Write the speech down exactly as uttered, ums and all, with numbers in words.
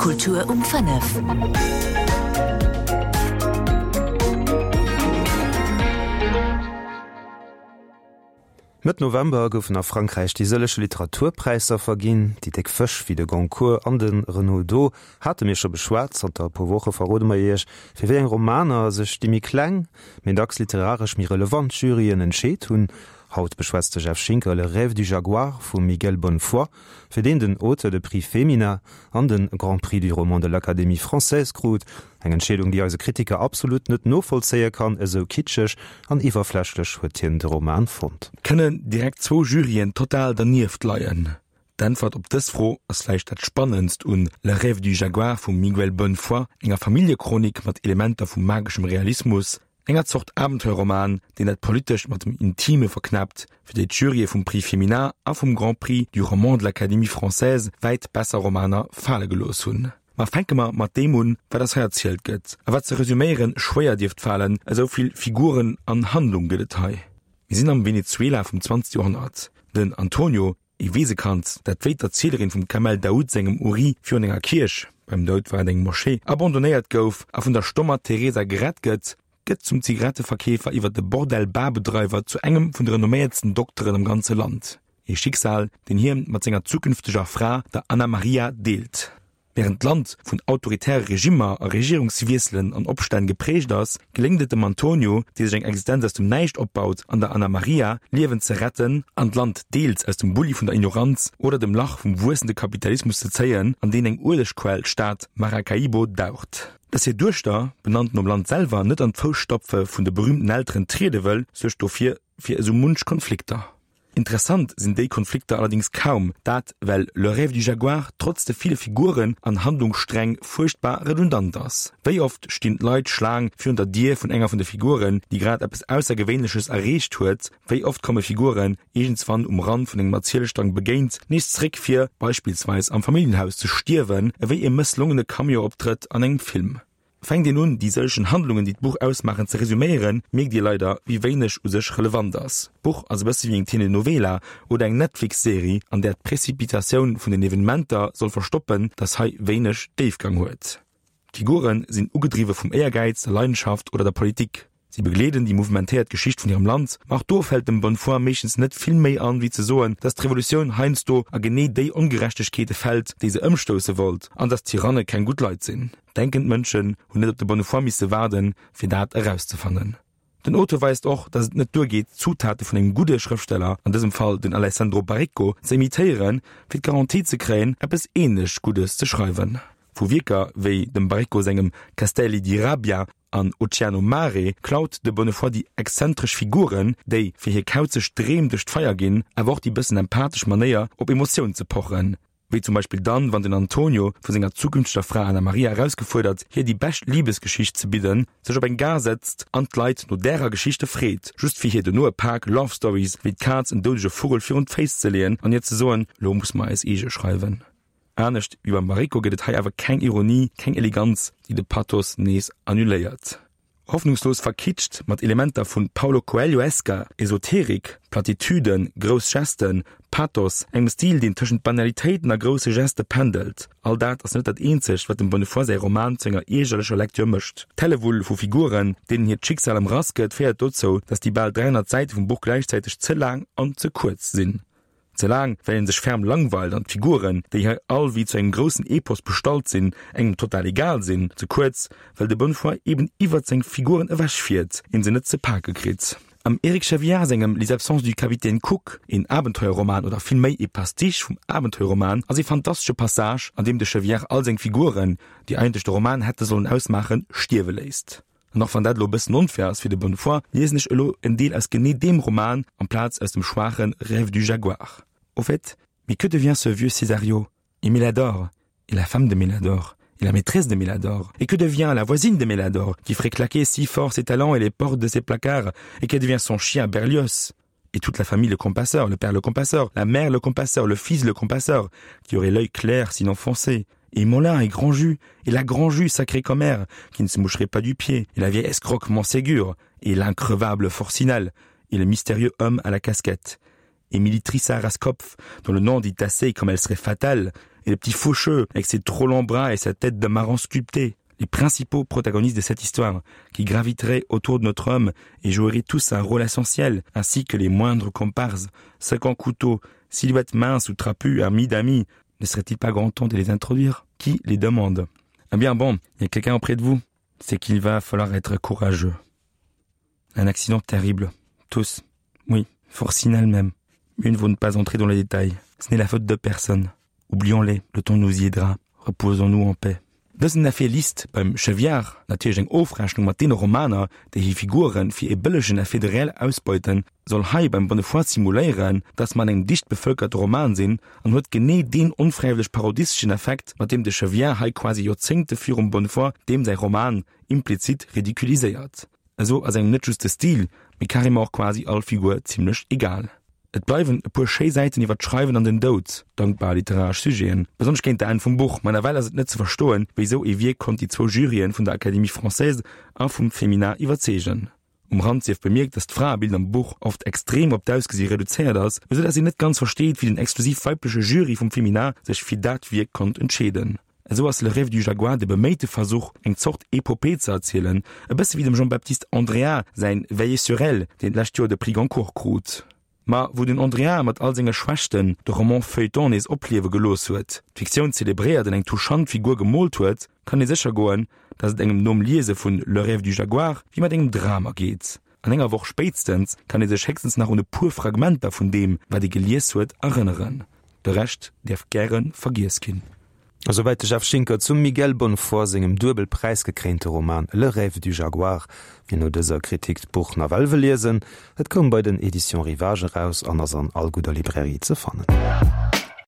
Kultur um fënnef. Mëtt November goufen a Frankräich déi sëllege Literaturpräisser verginn. Déi déck Fësch wéi de Goncourt an de Renaudot hate mir scho beschwat. Zanter e puer Woche verrode mer Iech, fir wéi eng Romaner sech déi méi kleng, mee dacks literaresch méi relevant Juryen entscheet hunn. Haut beschwätzt de Jeff Schinker Le rêve du jaguar vum Miguel Bonnefoy, fir deen den Auteur de Prix Femina an de Grand Prix du roman de l'Académie française krut. Eng Entscheedung, déi eise Kritiker absolut net novollzéie kann, esou kitscheg an iwwerflächlech huet hien de Roman fonnt. Kënnen direkt zwou Juryen total dernieft leien? D'Äntwert op dës Fro ass vläicht dat Spannendst un Le rêve du jaguar vum Miguel Bonnefoy, enger Familljechronik mat Elementer vu mageschem Realismus, Enger Zort Abenteuerroman, deen dat Politescht mat dem Intime verknäppt, fir déi d'Jurye vum Prix Femina a vum Grand Prix du roman de l'Académie française wäit besser Romaner fale gelooss hunn. Ma fänke mer mat deem un, wat eis hei erzielt gëtt, a wat ze resüméiere schwéier dierft falen, esou vill Figuren an Handlung gëtt et hei. Mir sinn am Venezuela vum zwanzegste Joerhonnert. Den Antonio, ee Weesekand, dat wéi d'Erzielerin vum Kamel Daoud sengem Uri virun enger Kierch, beim Daoud war et eng Moschee, abandonnéiert gouf a vun der stommer Teresa gerett gëtt, gëtt zum Zigaretteverkeefer iwwer de Bordell-Barbedreiwer zu engem vun de renomméiertsten Dokteren am ganze Land. Ee Schicksal, deen hien mat senger zukünfteger Fra, der Ana Maria, deelt. Wärend d'Land vun autoritäre Regimmer a Regierungswiesselen an Opstänn geprägt ass, geléngt et dem Antonio, dee sech eng Existenz aus dem Näischt opbaut, an der Ana Maria, Liewen ze retten an d'Land deels aus dem Bulli vun der Ignoranz oder dem Lach vum wuessende Kapitalismus ze zéien, an deen eng Uelegquell d'Stad Maracaibo daucht. Dass hir Duechter, benannt nom Land selwer, net an d'Fousstapfe vun de berüümten Elteren triede wëll, suergt dofir fir esou munch Konflikter. Interessant sinn déi Konflikter allerdéngs kaum, dat well Le rêve du jaguar trotz de ville Figuren an Handlungssträng fuerchtbar redundant ass. Wéi oft stinn d'Leit Schlaang virun der Dier vun enger vun de Figuren, déi grad eppes Aussergewéinleches erreecht huet? Wéi oft komme Figuren, iergendswann um Rand vun engem Erzielstrang begéint, nees zréck fir beispillsweis am Familljenhaus ze stierwen, ewéi e mësslongene Cameo-Optrëtt an engem Film? Fänkt een un, déi sëllegen Handlungen, déi d'Buch ausmaachen, ze resuméieren, mierkt Dir leider, wéi wéineg u sech relevant ass. D'Buch ass e bësse wéi eng Telenovela oder eng Netflix-Serie, an där d'Prezipitatioun vun den Evenementer soll verstoppen, dass hei wéineg Déifgang huet. D'Figure sinn ugedriwwe vum Éiergäiz, der Leidenschaft oder der Politik. Si begleeden déi mouvementéiert Geschicht vun hirem Land, ma och do fält dem Bonnefoy meeschtens net vill méi an, wéi ze soen, dass d'Revolutioun heiansdo a genee déi Ongerechtegkeete fält, déi se ëmstousse wollt, an dass Tyranne keng gutt Leit sinn. Denkend Mënschen hunn net op de Bonnefoy misse waarden, fir dat erauszefannen. Den Auteur weist och, dass et net duergeet, d'Zutate vun engem gudde Schrëftsteller, an dësem Fall den Alessandro Baricco, ze imitéieren, fir d'Garantie ze kréien, eppes änlech Guddes ze schreiwen. Vu Wierker wéi dem Baricco sengem Castelli di Rabbia an Oceano Mare klaut de Bonnefoy déi exzentresch Figuren, déi fir hir kauzeg Dreem duerch d'Feier ginn, awer och déi bëssen empathesch Manéier, op Emotioun ze pochen, wéi zum Beispill dann, wann den Antonio, vu senger zukünfteger Fra Ana Maria erausgefuerdert, hir déi bescht Libesgeschicht ze bidden, sech op eng Gare setzt an d'Leit no därer Geschichte freet, just fir hir dono e Pak Love Stories wéi d'Kaz en doudege Vugel virun d'Féiss ze leeën an hir ze soen, Lo muss mer eis eege schreiwen. Anescht wéi beim Baricco gëtt et hei awer keng Ironie, keng Eleganz, déi de Pathos nees annuléiert. Hoffnungslos verkitscht, mat Elementer vu Paulo Coelho-esker Esoterik, Platitüden, grouss Gesten, Pathos, engem Stil, deen tëschent Banalitéiten a grousse Geste pendelt, all dat ass net dat eenzegt, wat dem Bonnefoy säi Roman zu enger iergerlecher Lektür mécht. D'Hellewull vu Figuren, deenen hiert Schicksal ëmrass gëtt, féiert dozou, datt déi bal dräihonnert Säite vum Buch gläichzäiteg ze laang an ze kuerz sinn. Ze laang, well een sech ferm langweilt an d'Figuren, déi hei all wéi zu engem groussen Epos bestallt sinn, engem total egal sinn. Ze kuerz, well de Bonnefoy eben iwwert seng Figuren ewech fiert, een se net ze pake kritt. Am Eric Chevillard sengem Les absences du capitaine Cook, een Abenteuerroman oder vill méi ee Pastiche vum Abenteuerroman, ass ee fantastesche Passage, an deem de Chevillard all seng Figuren, déi eigentlech de Roman hätte sollen ausmaachen, stierwe léisst. An och wann dat elo e bëssen onfair ass fir de Bonnefoy, liesen ech elo en Deel aus genee deem Roman amplaz aus dem schwaache Rêve du jaguar. Au fait, mais que devient ce vieux Césario? Et Mélador? Et la femme de Mélador? Et la maîtresse de Mélador? Et que devient la voisine de Mélador, qui ferait claquer si fort ses talons et les portes de ses placards? Et que devient son chien Berlioz? Et toute la famille Lecompasseur, le père Lecompasseur, la mère Lecompasseur, le fils Lecompasseur, qui aurait l'œil clair sinon foncé? Et Molin et Grandjus, et la Grandjus, sacrée commère, qui ne se moucherait pas du pied, et la vieille escroque Montségur, et l'increvable Forcinal, et le mystérieux homme à la casquette, Émilie Trissa Raskopf, dont le nom dit assez comme elle serait fatale, Et le petit Faucheux, avec ses trop longs bras et sa tête de marron sculpté, les principaux protagonistes de cette histoire, qui graviteraient autour de notre homme et joueraient tous un rôle essentiel, ainsi que les moindres comparses, cinquante couteaux, silhouettes minces ou trapues, amis d'amis, ne serait-il pas grand temps de les introduire? Qui les demande? Ah bien bon, il y a quelqu'un auprès de vous. C'est qu'il va falloir être courageux. Un accident terrible. Tous. Oui, Forcine elle-même. Mieux ne vaut ne pas entrer dans les détails. Ce n'est la faute de personne. Oublions-les, le temps nous y aidera. Reposons-nous en paix. Dësen Effet List beim Cheviard, natierlech eng Ofrechnung mat deene Romaner, déi hir Figure fir ee bëllegen Effet de réel ausbeuten, soll hei beim Bonnefoy simuléieren, dass mer an engem dicht bevëlkerte Roman sinn, an huet genee deen onfräiwëlleg parodisteschen Effekt, mat deem de Cheviard hei quasi Joerzéngte virum Bonnefoy deem säi Roman implizit ridiculiséiert. Esou ass engem net just de Stil, mee carrément och quasi all Figur zimlech egal. Et bleiwen e puer schéi Säiten iwwer d'Schreiwen an den Doud, dankbar literaresch Sujeten, besonnesch géint der Enn vum Buch, ma nawell ass et net ze verstoen, wéi esou ee Wierk konnt déi zwou Juryen vun der Académie française a vum Femina iwwerzeegen. Um Rand sief bemierkt, dass d'Fraebild am Buch oft extrem op d'Ausgesi reduzéiert ass, esou dass een net ganz versteet, wéi den exklusiv weibleche Jury vum Femina sech fir dat Wierk konnt entscheeden. Esou ass Le rêve du jaguar de beméite Versuch, eng Zort Epopee ze erzielen, e bësse wéi dem Jean-Baptiste Andrea säin Veillez sur elle, deen d'lescht Joer de Prix Goncourt krut. Ma wou den Andrea mat all senge Schwächten de Roman Feuilleton nees opliewe gelooss huet, d'Fiktioun zelebréiert an eng touchant Figur gemoolt huet, kann ee sécher goen, datt et engem nom Liese vun Le rêve du jaguar wéi mat engem Dram ergeet. An enger Woch spéitstens kann ee sech héchstens nach un e puer Fragmenter vun deem, wat ee gelies huet, erënneren. De Rescht däerf gäre vergiess ginn. Esouwäit de Jeff Schinker zum Miguel Bonnefoy sengem duebel präisgekréinte Roman Le rêve du jaguar. Wien no dëser Kritik d'Buch nawell wëll liesen, et koum bei den Editions Rivages eraus an ass an all gudder Librairie ze fannen.